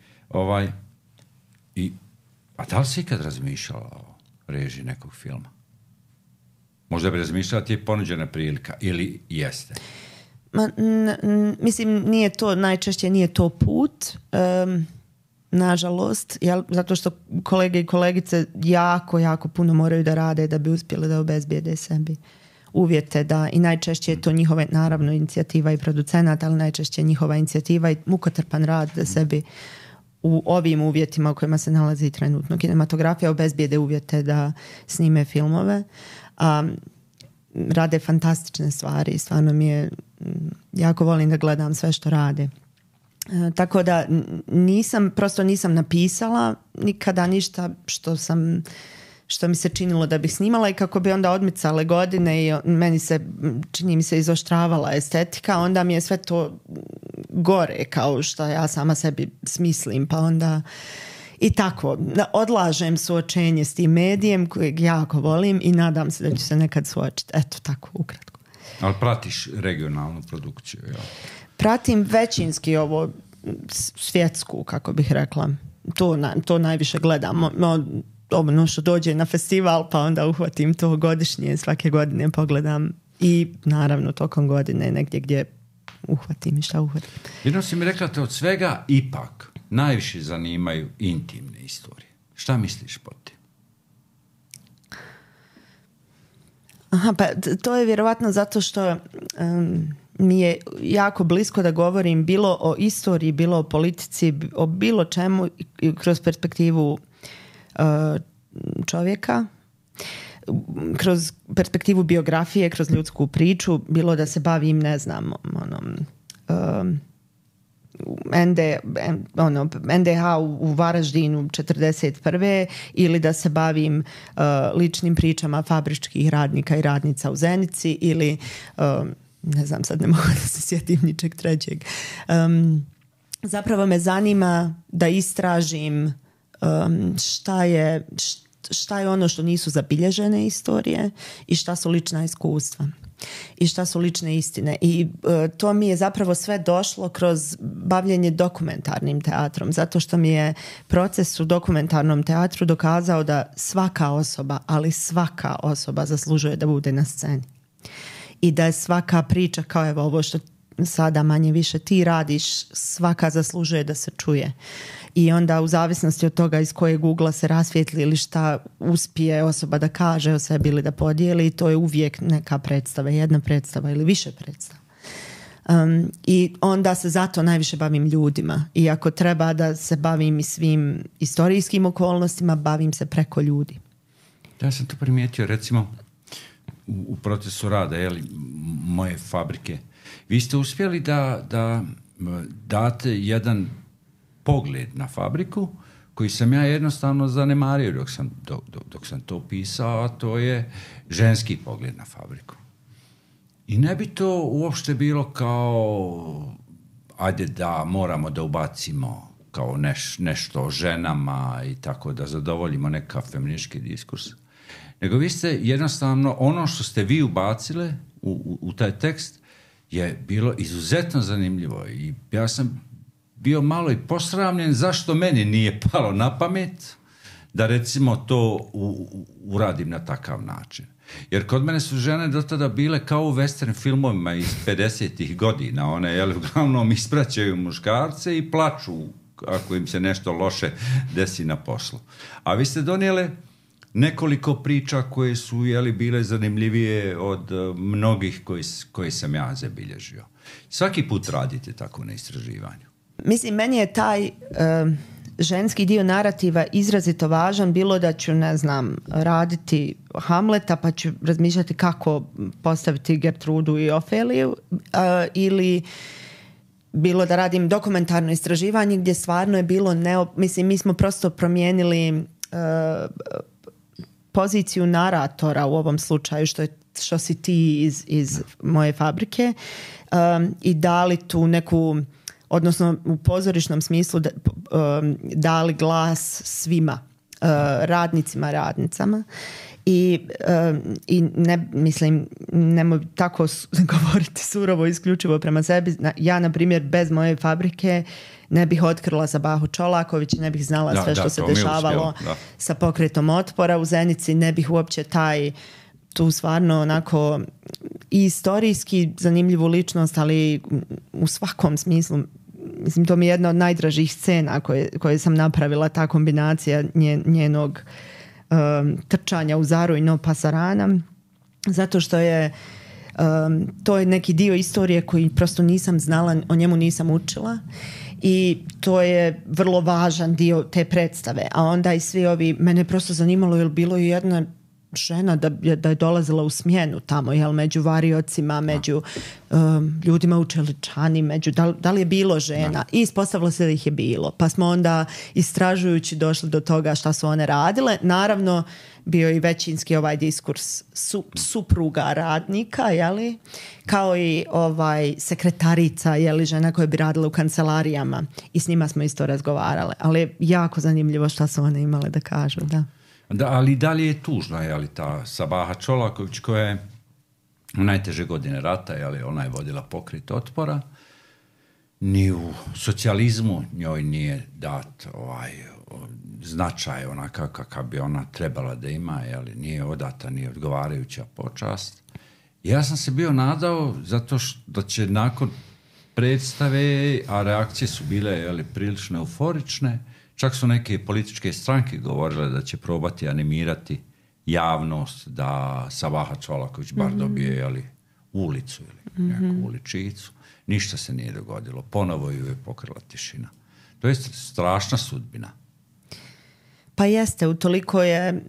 A: A da li si ikad razmišljala o režiji nekog filma? Možda bi razmišljala, ti je ponuđena prilika ili jeste?
B: Mislim, nije to, najčešće nije to put, nažalost, zato što kolege i kolegice jako, jako puno moraju da rade da bi uspjeli da obezbijede sebi uvjete, da i najčešće je to njihova, naravno, inicijativa i producenata, ali najčešće njihova inicijativa i mukotrpan rad da sebi u ovim uvjetima u kojima se nalazi trenutno kinematografija obezbijede uvjete da snime filmove. Rade fantastične stvari, stvarno mi je, jako volim da gledam sve što rade. Tako da prosto nisam napisala nikada ništa što mi se činilo da bih snimala i kako bi onda odmicale godine i čini mi se izoštravala estetika, onda mi je sve to gore kao što ja sama sebi smislim, pa onda i tako, odlažem suočenje s tim medijem kojeg jako volim i nadam se da ću se nekad suočiti. Eto, tako, ukratko.
A: Ali pratiš regionalnu produkciju, jel?
B: Pratim većinski ovo svjetsku, kako bih rekla. To najviše gledam. Ono što dođe na festival, pa onda uhvatim to godišnje, svake godine pogledam i naravno tokom godine negdje gdje uhvatim i šta uhvatim.
A: Jedno si mi rekla te od svega ipak najviše zanimaju intimne istorije. Šta misliš pod tim?
B: Aha, pa to je vjerovatno zato što mi je jako blisko da govorim bilo o istoriji, bilo o politici, o bilo čemu kroz perspektivu čovjeka, kroz perspektivu biografije, kroz ljudsku priču, bilo da se bavim, ne znam, NDH u Varaždinu 41. ili da se bavim ličnim pričama fabričkih radnika i radnica u Zenici ili ne znam, sad ne mogu da se sjetim ničeg trećeg. Zapravo me zanima da istražim šta je ono što nisu zabilježene istorije i šta su lična iskustva i šta su lične istine. I to mi je zapravo sve došlo kroz bavljenje dokumentarnim teatrom, zato što mi je proces u dokumentarnom teatru dokazao da svaka osoba, ali svaka osoba zaslužuje da bude na sceni. I da je svaka priča, kao evo ovo što sada manje više ti radiš, svaka zaslužuje da se čuje. I onda u zavisnosti od toga iz kojeg ugla se rasvijetli ili šta uspije osoba da kaže o sebi ili da podijeli, to je uvijek neka predstava, jedna predstava ili više predstava. I onda se zato najviše bavim ljudima. I ako treba da se bavim i svim istorijskim okolnostima, bavim se preko ljudi.
A: Ja sam to primijetio, recimo, u procesu rada moje fabrike. Vi ste uspjeli da date jedan pogled na fabriku koji sam ja jednostavno zanemario dok sam to pisao, a to je ženski pogled na fabriku. I ne bi to uopšte bilo kao ajde da moramo da ubacimo kao nešto o ženama i tako da zadovoljimo neka feministički diskurs. Nego vi ste jednostavno, ono što ste vi ubacile u taj tekst je bilo izuzetno zanimljivo i ja sam bio malo i posramljen zašto meni nije palo na pamet da recimo to uradim na takav način. Jer kod mene su žene do tada bile kao u western filmovima iz 50-ih godina. One uglavnom ispraćaju muškarce i plaču ako im se nešto loše desi na poslu. A vi ste donijele nekoliko priča koje su bile zanimljivije od mnogih koje sam ja zabilježio. Svaki put radite tako na istraživanju.
B: Mislim, meni je taj ženski dio narativa izrazito važan, bilo da ću, ne znam, raditi Hamleta pa ću razmišljati kako postaviti Gertrudu i Ofeliju, ili bilo da radim dokumentarno istraživanje gdje stvarno je bilo mislim, mi smo prosto promijenili poziciju naratora u ovom slučaju, što si ti iz moje fabrike, i dali tu neku, odnosno u pozorišnom smislu dali glas svima, radnicima, radnicama. I ne, mislim, nemoj tako govoriti surovo isključivo prema sebi. Ja, na primjer, bez moje fabrike ne bih otkrila Sabahu Čolaković, ne bih znala sve što se dešavalo sa pokretom otpora u Zenici, ne bih uopće tu stvarno onako i istorijski zanimljivu ličnost, ali u svakom smislu. Mislim, to mi je jedna od najdražih scena koje sam napravila, ta kombinacija njenog trčanja u Zaru i No Pasarana, zato što je to je neki dio istorije koji prosto nisam znala, o njemu nisam učila i to je vrlo važan dio te predstave. A onda i svi ovi, mene prosto zanimalo je li bilo i jedna žena da je dolazila u smjenu tamo, jel, među variocima, među ljudima u čeličani, da li je bilo žena, i ispostavilo se da ih je bilo, pa smo onda istražujući došli do toga šta su one radile. Naravno bio i većinski ovaj diskurs supruga radnika, jeli, kao i sekretarica, jeli, žena koja bi radila u kancelarijama, i s njima smo isto razgovarale, ali je jako zanimljivo šta su one imale da kažu.
A: Da, ali da li je tužno, ta Sabaha Čolaković koja je u najteže godine rata, ona je vodila pokret otpora, ni u socijalizmu njoj nije dat značaj onakav kakav bi ona trebala da ima, nije odata ni odgovarajuća počast. Ja sam se bio nadao zato da će nakon predstave, a reakcije su bile prilično euforične, čak su neke političke stranke govorile da će probati animirati javnost da Sabaha Čolaković bar dobije ulicu ili neku uličicu. Ništa se nije dogodilo. Ponovo ju je pokrila tišina. To je strašna sudbina.
B: Pa jeste, utoliko je,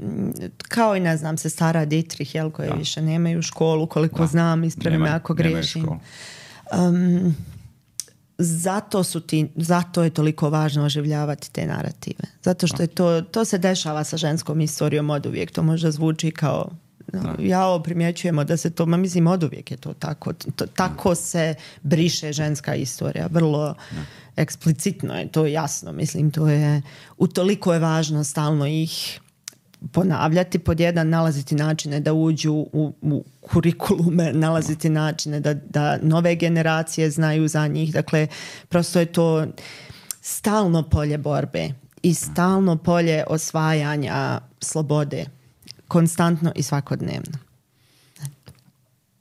B: kao i ne znam, sestara Dietrich, koje više nemaju školu, koliko znam, ispravi me ako grešim. Zato je toliko važno oživljavati te narative. Zato što je to se dešava sa ženskom historijom oduvijek. To možda zvuči kao primjećujemo da se to, mislim, oduvijek je to tako. Tako se briše ženska istorija. Vrlo eksplicitno je to jasno. Mislim, to je, utoliko je važno stalno ih ponavljati, pod jedan, nalaziti načine da uđu u kurikulume, nalaziti načine da nove generacije znaju za njih. Dakle, prosto je to stalno polje borbe i stalno polje osvajanja slobode, konstantno i svakodnevno.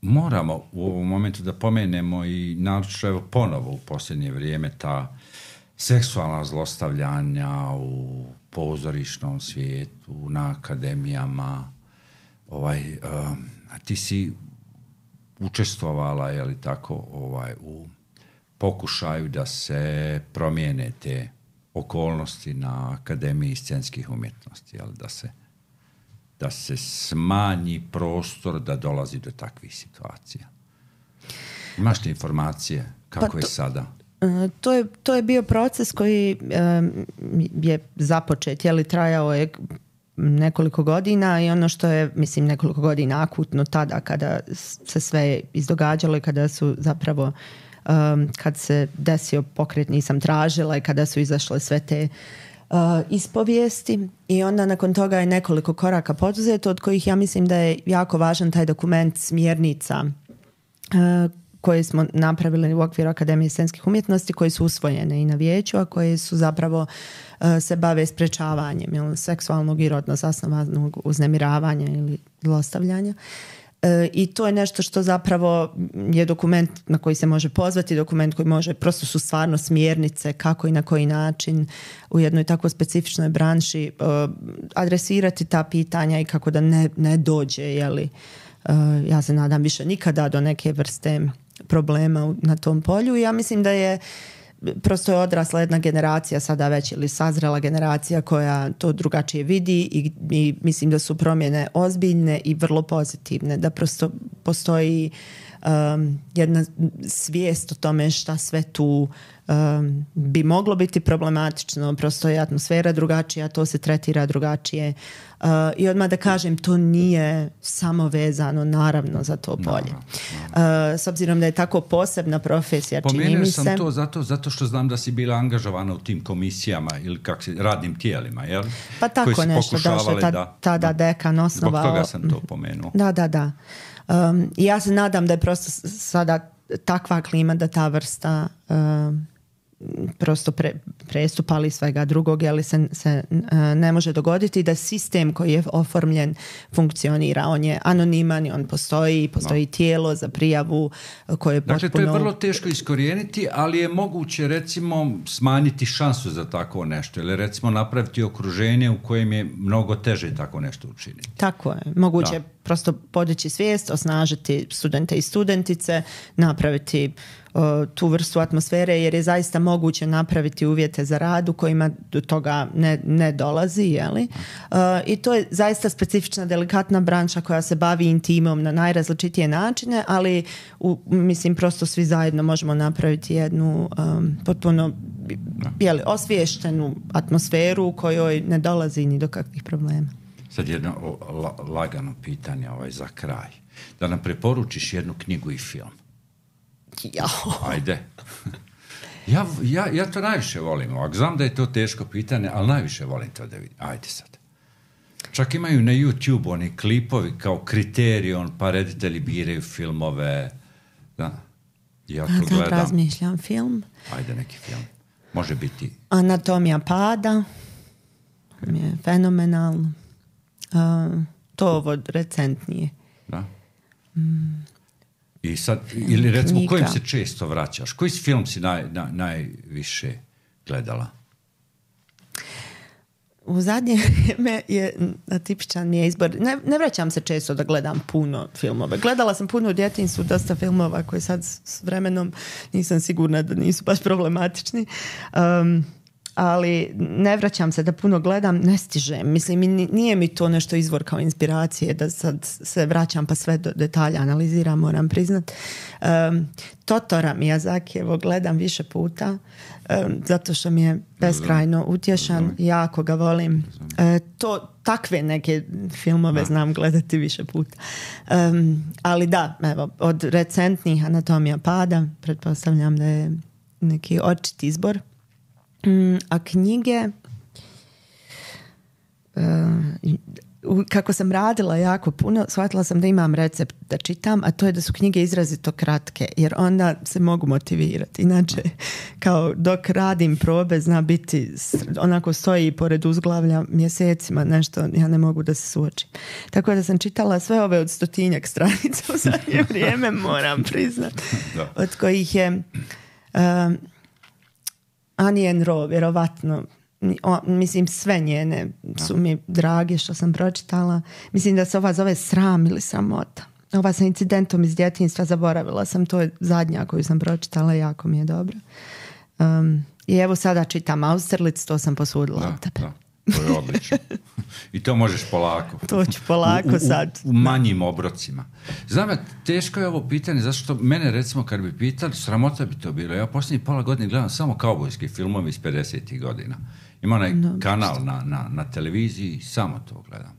A: Moramo u ovom momentu da pomenemo i naročito ponovo u posljednje vrijeme ta seksualna zlostavljanja u pozorišnom svijetu, na akademijama. Ti si učestvovala, u pokušaju da se promijene te okolnosti na Akademiji scenskih umjetnosti, da se smanji prostor da dolazi do takvih situacija. Imaš li informacije kako je sada?
B: To je bio proces koji je započet, trajao je nekoliko godina i ono što je, mislim, nekoliko godina akutno tada kada se sve izdogađalo i kada su zapravo kad se desio pokret Nisam tražila i kada su izašle sve te ispovijesti i onda nakon toga je nekoliko koraka poduzeto od kojih ja mislim da je jako važan taj dokument smjernica koje smo napravili u okviru Akademije scenskih umjetnosti, koje su usvojene i na vijeću, a koje su zapravo se bave sprečavanjem seksualnog i rodno zasnovanog uznemiravanja ili zlostavljanja. I to je nešto što zapravo je dokument na koji se može pozvati, dokument koji može, prosto su stvarno smjernice kako i na koji način u jednoj tako specifičnoj branši adresirati ta pitanja i kako da ne dođe, jeli, ja se nadam više nikada do neke vrste problema na tom polju. I ja mislim da je prosto je odrasla jedna generacija sada već ili sazrela generacija koja to drugačije vidi i mislim da su promjene ozbiljne i vrlo pozitivne, da prosto postoji jedna svijest o tome šta sve tu bi moglo biti problematično, prosto je atmosfera drugačija, to se tretira drugačije i odmah da kažem, to nije samo vezano naravno za to polje. S obzirom da je tako posebna profesija, čini mi se.
A: Pomenuo sam to zato što znam da si bila angažovana u tim komisijama ili radnim tijelima, jel?
B: Pa tako nešto, tada dekan osnovao.
A: Zbog toga sam to pomenuo.
B: Da. I ja se nadam da je prosto sada takva klima da ta vrsta prosto prestupa ali svega drugog, ali se ne može dogoditi, da sistem koji je oformljen funkcionira. On je anoniman i on postoji tijelo za prijavu koje je potpuno...
A: Dakle, to je vrlo teško iskorijeniti, ali je moguće recimo smanjiti šansu za tako nešto ili recimo napraviti okruženje u kojem je mnogo teže tako nešto učiniti.
B: Tako je. Moguće prosto podići svijest, osnažiti studente i studentice, napraviti tu vrstu atmosfere, jer je zaista moguće napraviti uvjete za rad u kojima do toga ne dolazi, jeli? I to je zaista specifična, delikatna branša koja se bavi intimom na najrazličitije načine, ali mislim prosto svi zajedno možemo napraviti jednu potpuno osviještenu atmosferu u kojoj ne dolazi ni do kakvih problema.
A: Sad jedno lagano pitanje za kraj. Da nam preporučiš jednu knjigu i film. Ajde. Ja to najviše volim. Ovak. Znam da je to teško pitanje, ali najviše volim to da vidim. Ajde sad. Čak imaju na YouTube oni klipovi kao kriterion, pa reditelji biraju filmove. Da. Ja to gledam.
B: Razmišljam film.
A: Ajde neki film. Može biti.
B: Anatomija pada. Je fenomenalno. To ovo recentnije.
A: Da. I sad, ili recimo kojim se često vraćaš? Koji film si najviše gledala?
B: U zadnje vrijeme je tipičan mi je izbor. Ne vraćam se često da gledam puno filmove. Gledala sam puno u djetinjstvu, dosta filmova koji sad s vremenom nisam sigurna da nisu baš problematični. Ali ne vraćam se da puno gledam, ne stižem. Mislim, nije mi to nešto izvor kao inspiracije da sad se vraćam pa sve do detalja analiziram, moram priznat. Totora Miyazakijevo gledam više puta zato što mi je beskrajno utješan, jako ga volim. Takve neke filmove znam gledati više puta. Ali da, evo, od recentnih Anatomija pada, pretpostavljam da je neki očit izbor. A knjige, kako sam radila jako puno, shvatila sam da imam recept da čitam, a to je da su knjige izrazito kratke, jer onda se mogu motivirati. Inače, kao dok radim probe, zna biti, onako stoji pored uzglavlja mjesecima nešto, ja ne mogu da se suočim. Tako da sam čitala sve ove od 100-tinjak stranica u zadnje vrijeme, moram priznat, od kojih je... Annie Rowe, vjerovatno, mislim sve njene su mi drage što sam pročitala. Mislim da se ova zove Sram ili Sramota. Ova sa incidentom iz djetinjstva, zaboravila sam, to je zadnja koju sam pročitala, jako mi je dobra. I evo sada čitam Austerlitz, to sam posudila od tebe.
A: To je odlično. I to možeš polako.
B: To ću polako sad.
A: U manjim obrocima. Znam, teško je ovo pitanje, zašto mene, recimo, kad bi pitali, sramota bi to bilo. Ja posljednjih pola godine gledam samo kaubojske filmove iz 50. godina. Ima onaj kanal na televiziji, samo to gledam.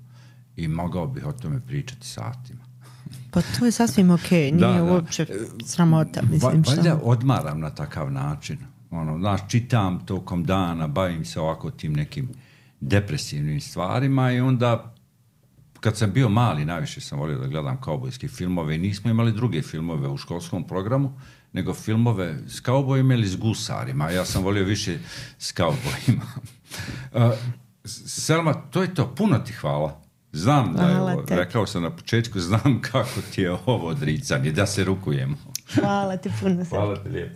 A: I mogao bih o tome pričati satima.
B: Pa to je sasvim okej, nije uopće sramota. Mislim,
A: valjda odmaram na takav način. Čitam tokom dana, bavim se ovako tim nekim depresivnim stvarima i onda kad sam bio mali, najviše sam volio da gledam kaubojske filmove i nismo imali druge filmove u školskom programu, nego filmove s kaubojima ili s gusarima. Ja sam volio više s kaubojima. Selma, to je to. Puno ti hvala. Znam da je ovo, rekao sam na početku, znam kako ti je ovo odricanje, da se rukujemo.
B: Hvala ti puno.
A: Hvala ti lijepo.